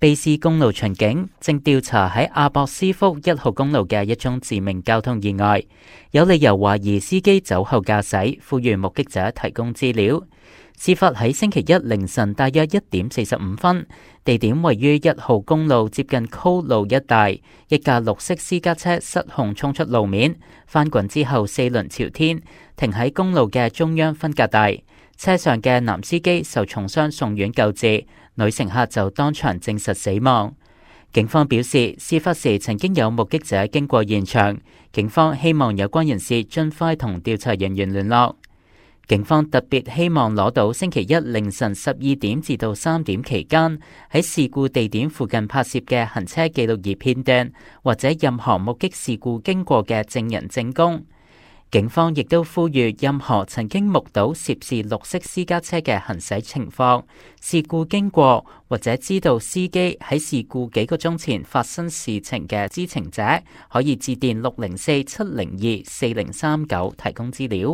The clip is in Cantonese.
卑斯公路巡警正調查喺阿博斯福1號公路嘅一宗致命交通意外，有理由懷疑司機酒後駕駛，呼籲目擊者提供資料。事發喺星期一凌晨大約1點45分，地點位於1號公路接近 Cole 路一帶，一架綠色私家車失控衝出路面，翻滾之後4輪朝天，停喺公路嘅中央分隔帶。車上嘅男司機受重傷送院救治，女乘客就當場證實死亡。警方表示，事發時曾經有目擊者經過現場，警方希望有關人士盡快同調查人員聯絡。警方特別希望攞到星期一凌晨12點至到3點期間喺事故地點附近拍攝嘅行車記錄儀片段，或者任何目擊事故經過嘅證人證供。警方亦都呼籲任何曾經目睹涉事綠色私家車嘅行駛情況、事故經過或者知道司機喺事故幾個鐘前發生事情嘅知情者，可以致電604-702-4039提供資料。